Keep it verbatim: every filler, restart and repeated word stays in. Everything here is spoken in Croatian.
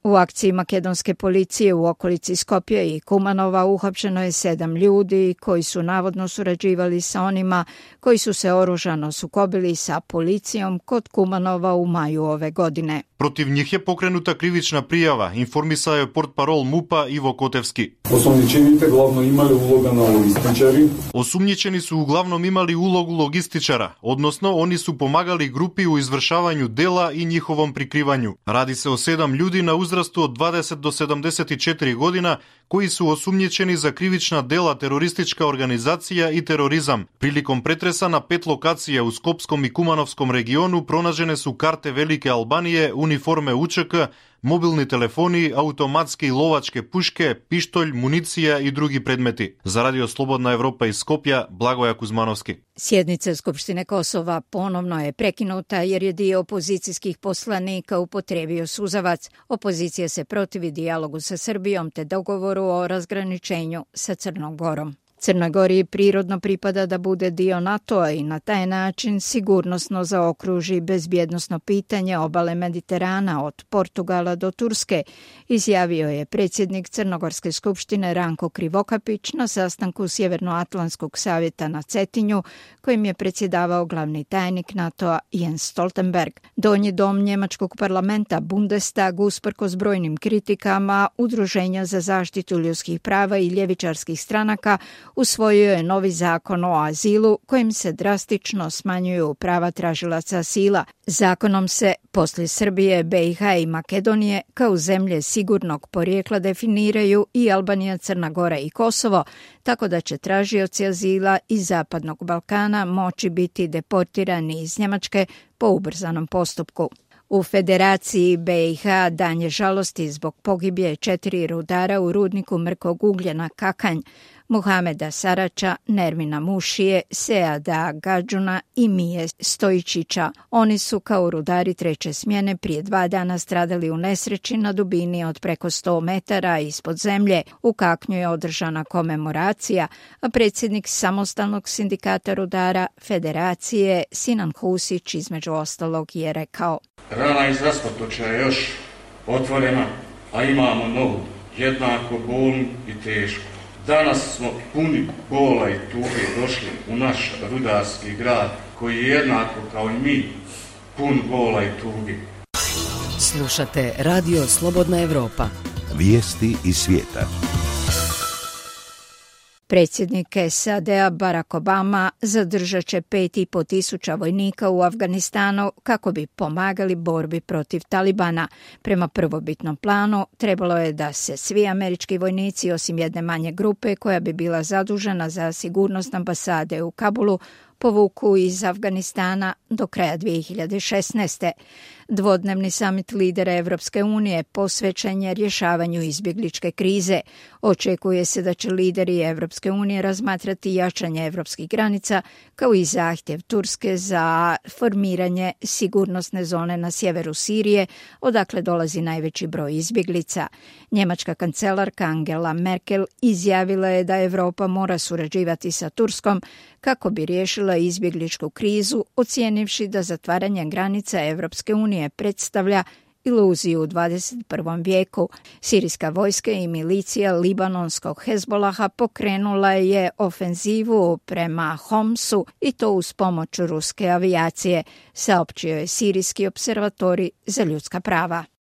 U akciji makedonske policije u okolici Skopja i Kumanova uhapšeno je sedam ljudi koji su navodno surađivali sa onima koji su se oružano sukobili sa policijom kod Kumanova u maju ove godine. Protiv njih je pokrenuta krivična prijava, informisao je portparol MUP-a Ivo Kotevski. Osumnjičeните glavno imali uloga na logističari. Osumnjičeni su uglavnom imali ulogu logističara, odnosno oni su pomagali grupi u izvršavanju dela i njihovom prikrivanju. Radi se o sedam ljudi na uzrastu od dvadeset do sedamdeset četiri godina koji su osumnjičeni za krivična dela teroristička organizacija i terorizam. Prilikom pretresa na pet lokacija u Skopskom i Kumanovskom regionu pronađene su karte Velike Albanije, uniforme U Č K, mobilni telefoni, automatske i lovačke puške, pištolj, municija i drugi predmeti. Za Radio Slobodna Evropa iz Skopja, Blagoja Kuzmanovski. Sjednica Skupštine Kosova ponovno je prekinuta jer je dio opozicijskih poslanika upotrijebio suzavac. Opozicija se protivi dijalogu sa Srbijom te dogovoru o razgraničenju sa Crnom Gorom. Crnoj Gori prirodno pripada da bude dio NATO-a i na taj način sigurnosno zaokruži bezbjednosno pitanje obale Mediterana od Portugala do Turske, izjavio je predsjednik Crnogorske skupštine Ranko Krivokapić na sastanku Sjevernoatlantskog savjeta na Cetinju, kojim je predsjedavao glavni tajnik NATO-a Jens Stoltenberg. Donji dom njemačkog parlamenta Bundestag, usprkos brojnim kritikama Udruženja za zaštitu ljudskih prava i ljevičarskih stranaka, usvojio je novi zakon o azilu kojim se drastično smanjuju prava tražilaca azila. Zakonom se poslije Srbije, B i H i Makedonije kao zemlje sigurnog porijekla definiraju i Albanija, Crna Gora i Kosovo, tako da će tražioci azila iz Zapadnog Balkana moći biti deportirani iz Njemačke po ubrzanom postupku. U Federaciji B i H dan je žalosti zbog pogibije četiri rudara u rudniku mrkog ugljena Kakanj, Muhameda Sarača, Nermina Mušije, Seada Gadžuna i Mije Stojičića. Oni su kao rudari treće smjene prije dva dana stradali u nesreći na dubini od preko sto metara ispod zemlje. U Kaknju je održana komemoracija, a predsjednik samostalnog sindikata rudara Federacije Sinan Husić između ostalog je rekao: Rana iz raspotočja je još otvorena, a imamo novu, jednako bolnu i tešku. Danas smo puni bola i tuge došli u naš rudarski grad, koji je jednako kao i mi, pun bola i tuge. Slušate Radio Slobodna Evropa. Vijesti iz svijeta. Predsjednik S A D-a Barack Obama zadržat će pet i po tisuća vojnika u Afganistanu kako bi pomagali borbi protiv Talibana. Prema prvobitnom planu trebalo je da se svi američki vojnici, osim jedne manje grupe koja bi bila zadužena za sigurnost ambasade u Kabulu, povuku iz Afganistana do kraja dvije hiljade šesnaeste. Dvodnevni samit lidera Evropske unije posvećen je rješavanju izbjegličke krize. Očekuje se da će lideri Evropske unije razmatrati jačanje evropskih granica kao i zahtjev Turske za formiranje sigurnosne zone na sjeveru Sirije, odakle dolazi najveći broj izbjeglica. Njemačka kancelarka Angela Merkel izjavila je da Evropa mora surađivati sa Turskom kako bi riješila izbjegličku krizu, ocijenivši da zatvaranje granica Evropske unije predstavlja iluziju u dvadeset prvom vijeku. Sirijska vojska i milicija libanonskog Hezbolaha pokrenula je ofenzivu prema Homsu i to uz pomoć ruske avijacije, saopćio je Sirijski observatorij za ljudska prava.